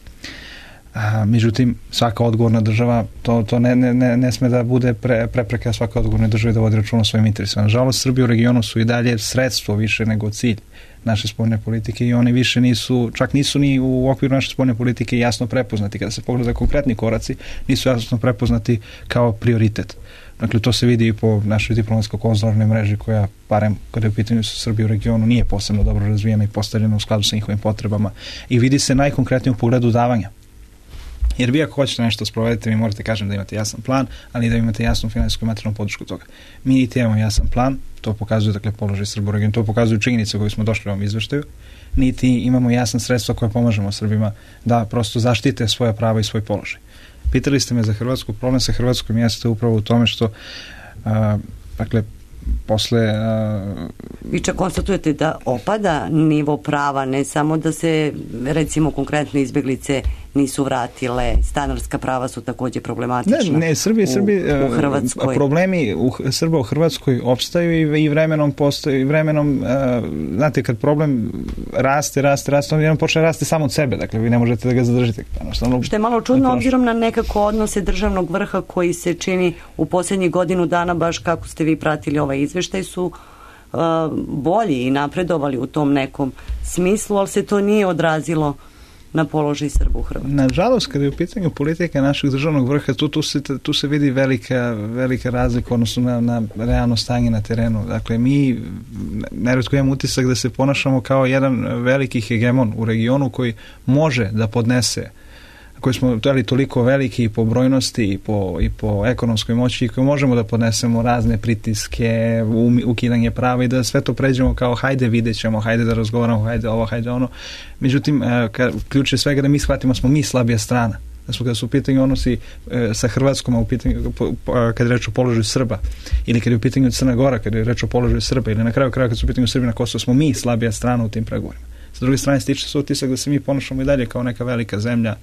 A, međutim, svaka odgovorna država, to, to ne, ne, ne sme da bude pre, prepreka svaka odgovorna država da vodi računa o svojim interesima. Nažalost, Srbi u regionu su i dalje sredstvo više nego cilj naše spoljne politike i oni više nisu, čak nisu ni u okviru naše spoljne politike jasno prepoznati. Kada se pogleda konkretni koraci, nisu jasno prepoznati kao prioritet. Dakle, to se vidi i po našoj diplomatsko-konzularnoj mreži koja, barem kada je u pitanju su Srbije u regionu, nije posebno dobro razvijena i postavljena u skladu sa njihovim potrebama. I vidi se najkonkretnije u pogledu davanja. Jer vi ako hoćete nešto sprovedete, vi morate kažem da imate jasan plan, ali da imate jasnu finansijsku i materijalnu podršku toga. Mi niti imamo jasan plan, to pokazuje, dakle, položaj Srba u regionu, to pokazuju činjenice koje smo došli u ovom izveštaju, niti imamo jasna sredstva koja pomažemo Srbima da prosto zaštite svoje prava i svoj položaj. Pitali ste me za Hrvatsku, problem sa Hrvatskom jeste upravo u tome što a, dakle, posle... Uh, Vi čak konstatujete da opada nivo prava, ne samo da se recimo konkretno izbjeglice nisu vratile, stanarska prava su također problematična. Ne, ne, Srbi, u, Srbi, u Hrvatskoj. Problemi u Srba u Hrvatskoj opstaju i, i vremenom postoji, i vremenom, uh, znate, kad problem raste, raste, raste, on jednom počne raste samo od sebe, dakle vi ne možete da ga zadržite. Jednostavno, što je malo čudno obzirom na nekako odnose državnog vrha koji se čini u posljednjih godinu dana, baš kako ste vi pratili ovaj izveštaj, su uh, bolji i napredovali u tom nekom smislu, ali se to nije odrazilo na položaj Srba u Hrvatskoj. Nažalost, kada je u pitanju politika našeg državnog vrha, tu, tu, se, tu se vidi velika, velika razlika odnosno na, na realno stanje na terenu. Dakle, mi neretko imamo utisak da se ponašamo kao jedan veliki hegemon u regionu koji može da podnese koji smo ali toliko veliki i po brojnosti i po, i po ekonomskoj moći i koji možemo da podnesemo razne pritiske, ukidanje prava i da sve to pređemo kao hajde vidjet ćemo, hajde da razgovaramo, hajde ovo, hajde ono. Međutim, ključ je svega da mi shvatimo smo mi slabija strana. Da su kada su u pitanju odnosi e, sa Hrvatskom, a u pitanju, po, po, kada je reč o položaju Srba, ili kada je u pitanju Crna Gora, kada je reč o položaju Srba, ili na kraju kraja kada su u pitanju Srbi na Kosovo, smo mi slabija strana u tim pregovorima. Sa druge strane stiče se utisak da se mi ponašamo i dalje kao neka velika zemlja,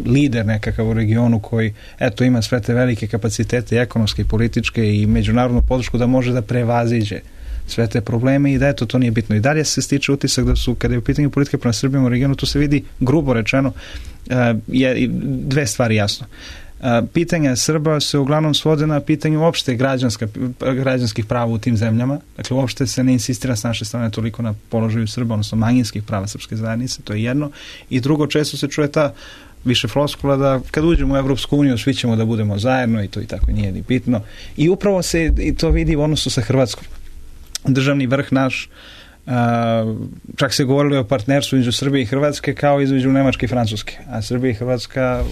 lider nekakav u regionu koji eto ima sve te velike kapacitete ekonomske, političke i međunarodnu podršku da može da prevaziđe sve te probleme i da eto to nije bitno. I dalje se stiče utisak da su, kada je u pitanju politike prema Srbijom u regionu, to se vidi grubo rečeno, je dve stvari jasno. Pitanja Srba se uglavnom svode na pitanju uopšte građanska, građanskih prava u tim zemljama. Dakle, uopšte se ne insistira s naše strane toliko na položaju Srba, odnosno manjinskih prava srpske zajednice, to je jedno. I drugo, često se čuje ta više floskula da kad uđemo u Evropsku uniju svi ćemo da budemo zajedno i to i tako nije ni bitno. I upravo se i to vidi u odnosu sa Hrvatskom. Državni vrh naš, Uh, čak se govorilo o partnerstvu između Srbije i Hrvatske kao između Nemačke i Francuske, a Srbija i Hrvatska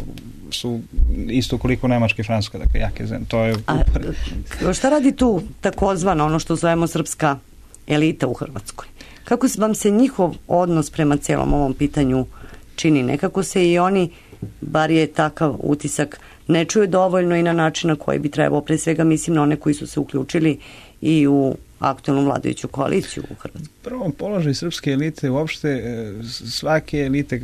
su isto koliko Nemačka i Francuska, dakle jake zemlje. To je a, šta radi tu takozvano ono što zovemo srpska elita u Hrvatskoj? Kako vam se njihov odnos prema celom ovom pitanju čini? Nekako se i oni, bar je takav utisak, ne čuju dovoljno i na način na koji bi trebao, pre svega mislim na one koji su se uključili i u aktualnu vladajuću koaliciju u Hrvatskoj. Prvo, položaj srpske elite, uopšte svake elite,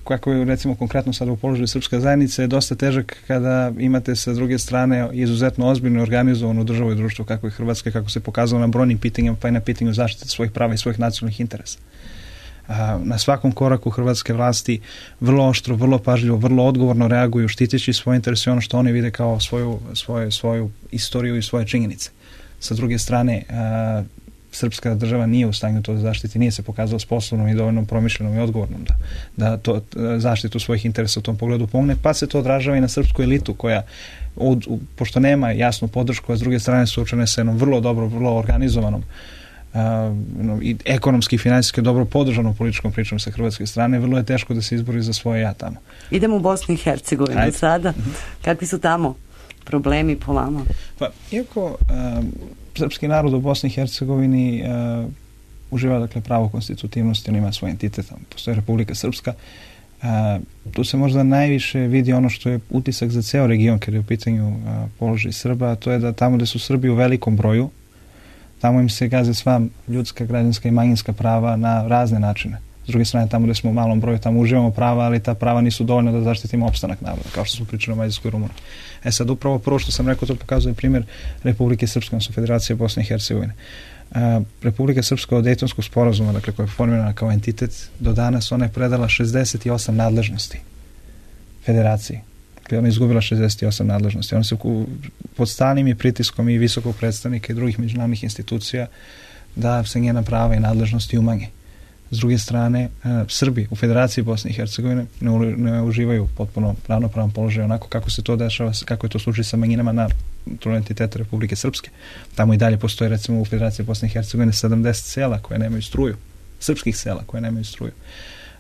kako je recimo konkretno sada u položaju srpska zajednica, je dosta težak kada imate sa druge strane izuzetno ozbiljno i organizovanu državu i društvo kako je Hrvatska, kako se pokazalo na brojnim pitanjima, pa i na pitanju zaštite svojih prava i svojih nacionalnih interesa. Na svakom koraku hrvatske vlasti vrlo oštro, vrlo pažljivo, vrlo odgovorno reaguju štiteći svoje interese i ono što oni vide kao svoju, svoju, svoju istoriju i svoje činjenice. Sa druge strane, a, srpska država nije u stanju to da zaštiti, nije se pokazala sposobnom i dovoljno promišljenom i odgovornom da, da to zaštitu svojih interesa u tom pogledu pomogne, pa se to odražava i na srpsku elitu koja, od, u, pošto nema jasnu podršku, a s druge strane suočene sa jednom vrlo dobro, vrlo organizovanom a, no, i ekonomski i finansijski dobro podržanom političkom pričom sa hrvatske strane, vrlo je teško da se izbori za svoje ja tamo. Idemo u Bosnu i Hercegovinu sada. Kakvi su tamo problemi po vama? Pa, iako uh, srpski narod u Bosni i Hercegovini uh, uživa dakle pravo konstitutivnosti, on ima svoj entitet, postoji Republika Srpska, uh, tu se možda najviše vidi ono što je utisak za ceo region kada je u pitanju uh, položaj Srba, a to je da tamo gde su Srbi u velikom broju, tamo im se gaze sva ljudska, građanska i manjinska prava na razne načine. S druge strane, tamo gde smo u malom broju, tamo uživamo prava, ali ta prava nisu dovoljna da zaštitimo opstanak naroda, kao što smo pričali o Mađarskoj i Rumuniji. E sad, upravo prvo što sam rekao, to pokazuje primjer Republike Srpske, odnosno Federacije Bosne i Hercegovine. Uh, Republika Srpska od Dejtonskog sporazuma, dakle koja je formirana kao entitet, do danas ona je predala šezdeset osam nadležnosti Federaciji. Dakle, ona je izgubila šezdeset osam nadležnosti. Ona se pod stalnim i pritiskom i visokog predstavnika i drugih međunarodnih institucija da se njena prava i nadležnosti umanje. S druge strane, Srbi u Federaciji Bosne i Hercegovine ne, ne uživaju potpuno ravnopravan položaj onako kako se to dešava, kako je to slučaj sa manjinama na entitetu Republike Srpske. Tamo i dalje postoje recimo u Federaciji Bosne i Hercegovine sedamdeset sela koje nemaju struju, srpskih sela koje nemaju struju.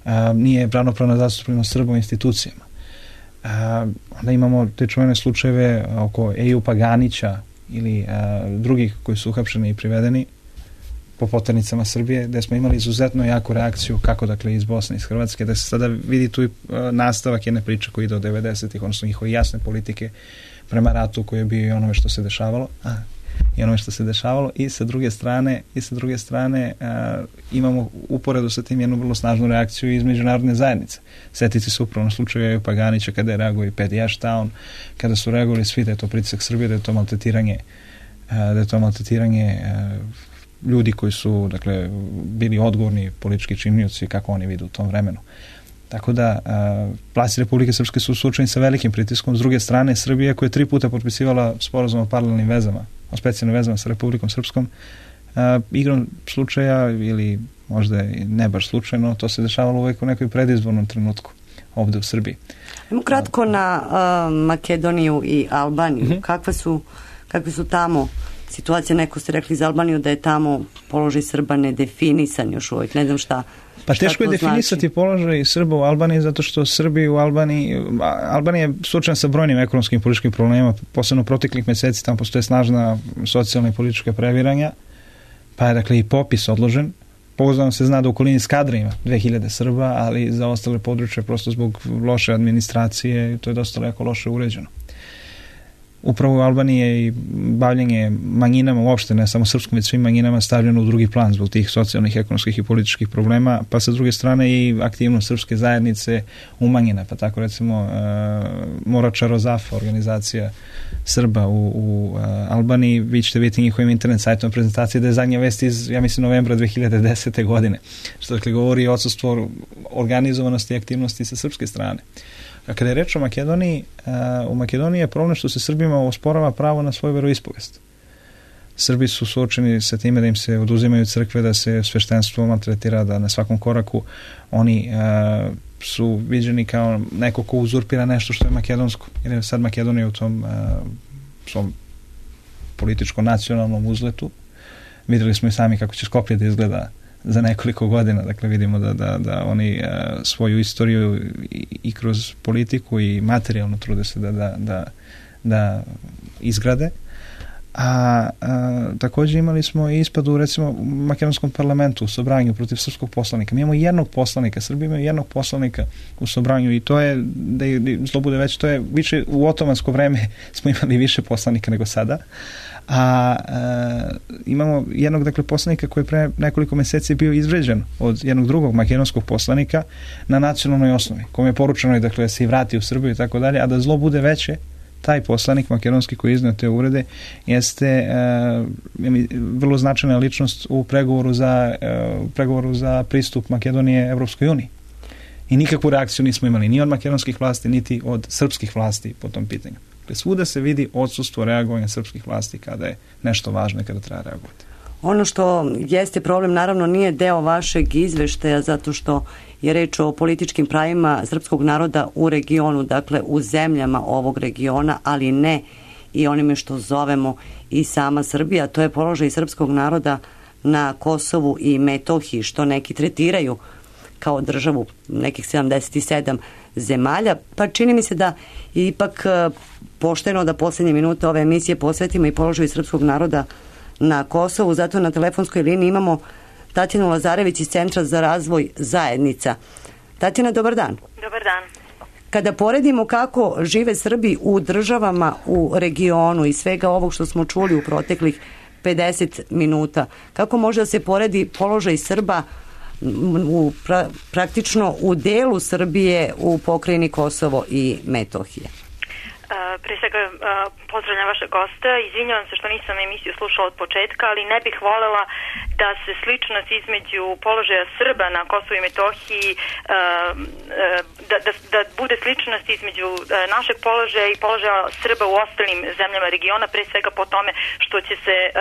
A, nije ravnopravna zastupljenost Srba u institucijama. A, onda imamo te čuvene slučajeve oko Ejupa Ganića ili a, drugih koji su uhapšeni i privedeni po poternicama Srbije, gde smo imali izuzetno jaku reakciju kako dakle iz Bosne i iz Hrvatske, da se sada vidi tu i nastavak jedne priče koja ide od devedesetih, odnosno njihove jasne politike prema ratu koji je bio i onome što se dešavalo, a, i onome što se dešavalo i sa druge strane, i sa druge strane a, imamo uporedu sa tim jednu vrlo snažnu reakciju iz međunarodne zajednice. Setici se upravo na slučaju Ejupa Ganića kada je reagovao i Pedi Ashtown, kada su reagovali svi da je to pritisak Srbije, da je to maltretiranje, a, da je to maltretiranje a, ljudi koji su dakle bili odgovorni politički činioci kako oni vide u tom vremenu. Tako da vlasti Republike Srpske su suočeni sa velikim pritiskom. S druge strane, Srbija koja je tri puta potpisivala sporazum o paralelnim vezama, o specijalnim vezama sa Republikom Srpskom, a, igrom slučaja ili možda ne baš slučajno, to se dešavalo uvek u nekoj predizbornom trenutku ovde u Srbiji. Idemo kratko na uh, Makedoniju i Albaniju. Mm-hmm. Kakve su, kakve su tamo situacija? Neko ste rekli za Albaniju da je tamo položaj Srba nedefinisan još uvijek. Ne znam šta Pa teško je definisati znači? položaj Srba u Albaniji zato što Srbi u Albaniji, Albanija je suočena sa brojnim ekonomskim i političkim problemima, posebno proteklih meseci tamo postoje snažna socijalna i politička previranja, pa je dakle i popis odložen. Pouzdano se zna da u okolini Skadra ima dve hiljade Srba, ali za ostale područje prosto zbog loše administracije to je dosta lako loše uređeno. Upravo u Albaniji je i bavljenje manjinama uopšte, ne samo srpskom, već svim manjinama stavljeno u drugi plan zbog tih socijalnih, ekonomskih i političkih problema, pa sa druge strane i aktivnost srpske zajednice umanjena, pa tako recimo uh, Morača Rozafa, organizacija Srba u, u uh, Albaniji, vi ćete vidjeti njihovim internet sajtom prezentacije da je zadnja vest iz, ja mislim, novembra dve hiljade desete. godine, što dakle govori o odsustvu organizovanosti i aktivnosti sa srpske strane. A kada je reč o Makedoniji, u Makedoniji je problem što se Srbima osporava pravo na svoju veroispovest. Srbi su suočeni sa time da im se oduzimaju crkve, da se sveštenstvo maltretira, da na svakom koraku oni uh, su viđeni kao neko ko uzurpira nešto što je makedonsko. Jer je sad Makedonija u tom uh, svom političko-nacionalnom uzletu. Vidjeli smo i sami kako će Skoplje da izgleda za nekoliko godina, dakle vidimo da, da, da oni uh, svoju istoriju i, i kroz politiku i materijalno trude se da, da, da, da izgrade. A, a također imali smo i ispad u recimo u makedonskom parlamentu u Sobranju protiv srpskog poslanika. Mi imamo jednog poslanika, Srbi imaju jednog poslanika u Sobranju i to je, da je zlo bude već, to je više u otomansko vreme smo imali više poslanika nego sada. A, a imamo jednog dakle poslanika koji je pre nekoliko mjeseci bio izvređen od jednog drugog makedonskog poslanika na nacionalnoj osnovi, kome je poručeno dakle da se i vrati u Srbiju i tako dalje, a da zlo bude veće, taj poslanik makedonski koji je iznio te uvrede jeste uh, vrlo značajna ličnost u pregovoru za, uh, pregovoru za pristup Makedonije Evropskoj uniji. I nikakvu reakciju nismo imali ni od makedonskih vlasti, niti od srpskih vlasti po tom pitanju. Dakle, svuda se vidi odsustvo reagovanja srpskih vlasti kada je nešto važno i kada treba reagovati. Ono što jeste problem, naravno, nije deo vašeg izveštaja zato što je reč o političkim pravima srpskog naroda u regionu, dakle u zemljama ovog regiona, ali ne i onime što zovemo i sama Srbija. To je položaj srpskog naroda na Kosovu i Metohiji, što neki tretiraju kao državu nekih sedamdeset sedam zemalja, pa čini mi se da je ipak pošteno da posljednje minute ove emisije posvetimo i položaju srpskog naroda na Kosovu. Zato na telefonskoj liniji imamo Tatjanu Lazarević iz Centra za razvoj zajednica. Tatjana, dobar dan. Dobar dan. Kada poredimo kako žive Srbi u državama u regionu i svega ovog što smo čuli u proteklih pedeset minuta, kako može da se poredi položaj Srba u, pra, praktično u delu Srbije u pokrajini Kosovo i Metohije? Uh, pre svega uh, pozdravljam vaše gosta, izvinjavam se što nisam emisiju slušala od početka, ali ne bih voljela da se sličnost između položaja Srba na Kosovu i Metohiji uh, uh, da, da, da bude sličnost između uh, našeg položaja i položaja Srba u ostalim zemljama regiona, pre svega po tome što će se uh,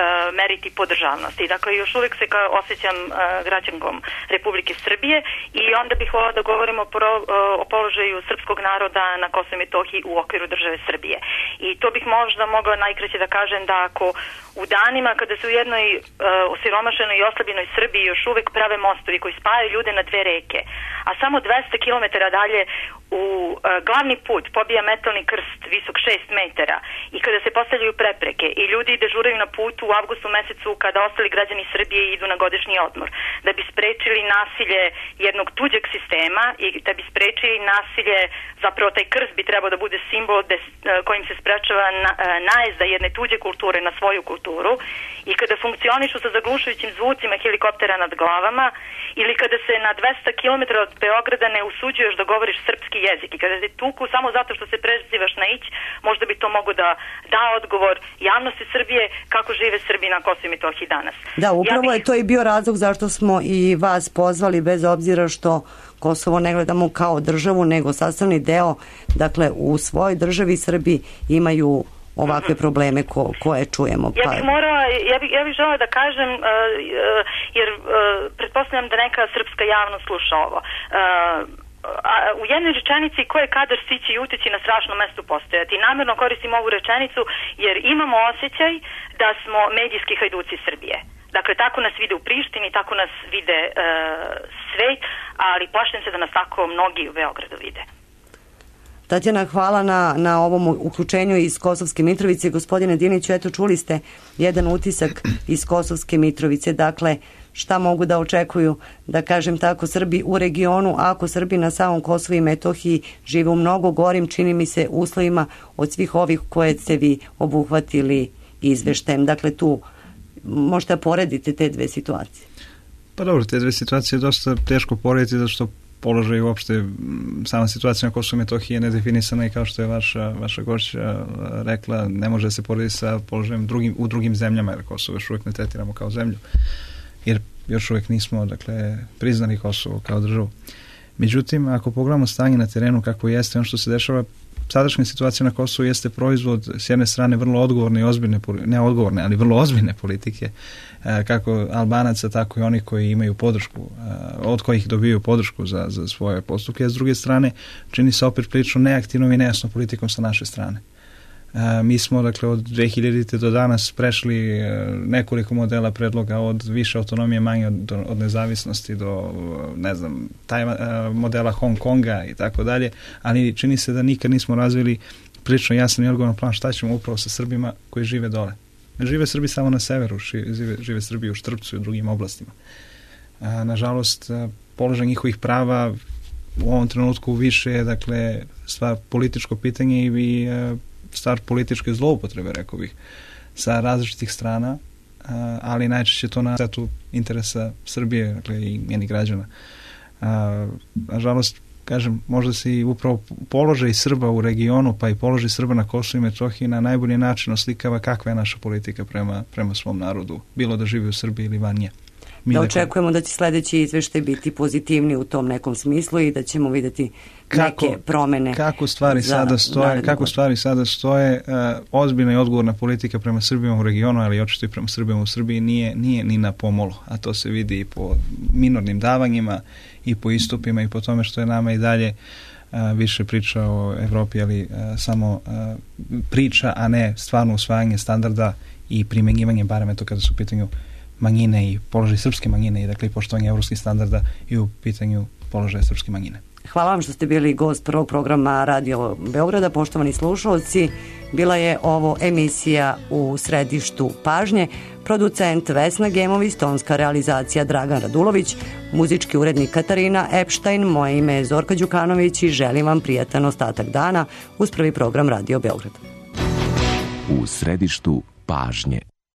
meriti po državnosti. Dakle, još uvijek se kao osjećam uh, građankom Republike Srbije i onda bih voljela da govorimo pro, uh, o položaju srpskog naroda na Kosovu i Metohiji u okviru države Srbije. I to bih možda mogla najkraće da kažem da ako u danima kada se u jednoj uh, osiromašenoj i oslabljenoj Srbiji još uvijek prave mostovi koji spajaju ljude na dve reke, a samo dvesta kilometara dalje u uh, glavni put pobija metalni krst visok šest metara i kada se postavljaju prepreke i ljudi dežuraju na putu u avgustu mesecu kada ostali građani Srbije idu na godišnji odmor, da bi sprečili nasilje jednog tuđeg sistema i da bi sprečili nasilje, zapravo taj krst bi trebao da bude simbol des, uh, kojim se sprečava na, uh, najezda jedne tuđe kulture na svoju kulturu i kada funkcionišu sa zaglušujućim zvucima helikoptera nad glavama ili kada se na dvesta kilometara od Beograda ne usuđuješ da govoriš srpski jezik i kada te tuku samo zato što se prezivaš na ić, možda bi to mogo da da odgovor javnosti Srbije kako žive Srbi na Kosovu i Metohiji danas. Da, upravo ja bih... je to i bio razlog zašto smo i vas pozvali, bez obzira što Kosovo ne gledamo kao državu, nego sastavni deo, dakle u svojoj državi Srbi imaju ovakve probleme ko, koje čujemo. Pa... Ja bih morala, ja bih, ja bih žela da kažem, uh, uh, jer uh, pretpostavljam da neka srpska javnost sluša ovo. Uh, A u jednoj rečenici ko je kadar stići i uteći na strašno mesto postojati. Namjerno koristim ovu rečenicu jer imamo osjećaj da smo medijski hajduci Srbije. Dakle, tako nas vide u Prištini, tako nas vide e, svet, ali plašim se da nas tako mnogi u Beogradu vide. Tatjana, hvala na, na ovom uključenju iz Kosovske Mitrovice. Gospodine Diniću, eto čuli ste jedan utisak iz Kosovske Mitrovice. Dakle, šta mogu da očekuju, da kažem tako, Srbi u regionu, ako Srbi na samom Kosovu i Metohiji žive u mnogo gorim, čini mi se, uslovima od svih ovih koje ste vi obuhvatili izveštajem. Dakle, tu možete porediti te dve situacije. Pa dobro, te dve situacije je dosta teško porediti, zato što položaj uopšte, sama situacija na Kosovu i Metohiji je nedefinisana i kao što je vaša, vaša gošća rekla, ne može se porediti sa položajem drugim, u drugim zemljama, jer Kosovo još uvijek ne tretiramo kao zemlju, jer još uvijek nismo, dakle, priznali Kosovo kao državu. Međutim, ako pogledamo stanje na terenu kako jeste, ono što se dešava, sadašnja situacija na Kosovu jeste proizvod s jedne strane vrlo odgovorne i ozbiljne, ne odgovorne, ali vrlo ozbiljne politike, kako Albanaca, tako i oni koji imaju podršku, od kojih dobiju podršku za, za svoje postupke, a s druge strane čini se opet prilično neaktivnom i nejasnom politikom sa naše strane. Mi smo, dakle, od dve hiljadite do danas prešli nekoliko modela predloga, od više autonomije, manje od, od nezavisnosti do, ne znam, taj, modela Hong Konga i tako dalje, ali čini se da nikad nismo razvili prilično jasan i odgovoran plan šta ćemo upravo sa Srbima koji žive dole. Ne žive Srbi samo na severu, žive, žive Srbi u Štrpcu i u drugim oblastima. A, nažalost, položaj njihovih prava u ovom trenutku više je, dakle, stvar političko pitanje i stvar političke zloupotrebe, rekao bih, sa različitih strana, ali najčešće to na setu interesa Srbije, dakle, i njenih građana. Nažalost, kažem, možda se i upravo položaj Srba u regionu, pa i položaj Srba na Kosovu i Metohiji na najbolji način oslikava kakva je naša politika prema, prema svom narodu, bilo da živi u Srbiji ili van nje. Mi da očekujemo da će sledeći izveštaj biti pozitivni u tom nekom smislu i da ćemo vidjeti kako, neke promene. Kako stvari sada stoje, kako stvari sada stoje, uh, ozbiljna i odgovorna politika prema Srbima u regionu, ali očito i prema Srbima u Srbiji nije, nije ni na pomolu, a to se vidi i po minornim davanjima i po istupima i po tome što je nama i dalje uh, više priča o Evropi, ali uh, samo uh, priča, a ne stvarno usvajanje standarda i primenjivanje, barem eto kada su u pitanju manjine i položaj srpske manjine i, dakle, i poštovanje evropskih standarda i u pitanju položaja srpske manjine. Hvala vam što ste bili gost prvog programa Radio Beograda. Poštovani slušalci, bila je ovo emisija U središtu pažnje. Producent Vesna Gemović, tonska realizacija Dragan Radulović, muzički urednik Katarina Epštajn, moje ime je Zorka Đukanović i želim vam prijatan ostatak dana uz prvi program Radio Beograd. U središtu pažnje.